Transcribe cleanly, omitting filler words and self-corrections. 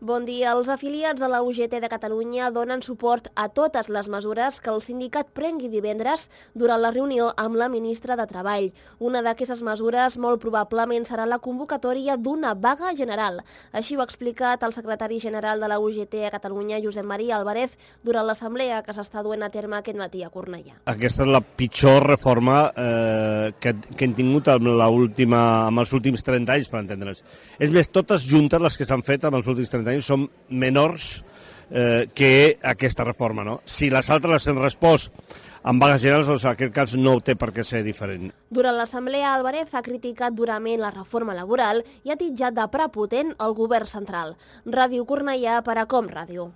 Bon dia. Els afiliats de la UGT de Catalunya donen suport a totes les mesures que el sindicat prengui divendres durant la reunió amb la ministra de Treball. Una d'aquestes mesures molt probablement serà la convocatòria d'una vaga general. Així ho ha explicat el secretari general de la UGT a Catalunya, Josep Maria Álvarez, durant l'assemblea que s'està duent a terme aquest matí a Cornellà. Aquesta és la pitjor reforma que hem tingut amb els últims 30 anys, per entendre'ns. És més, totes juntes les que s'han fet amb els últims 30 anys són menors que aquesta reforma, no? Si les altres les han respost amb vagues generals, doncs en aquest cas no té per què ser diferent. Durant l'assemblea, Álvarez ha criticat durament la reforma laboral i ha titjat de prepotent el govern central. Ràdio Cornellà per a Com Ràdio.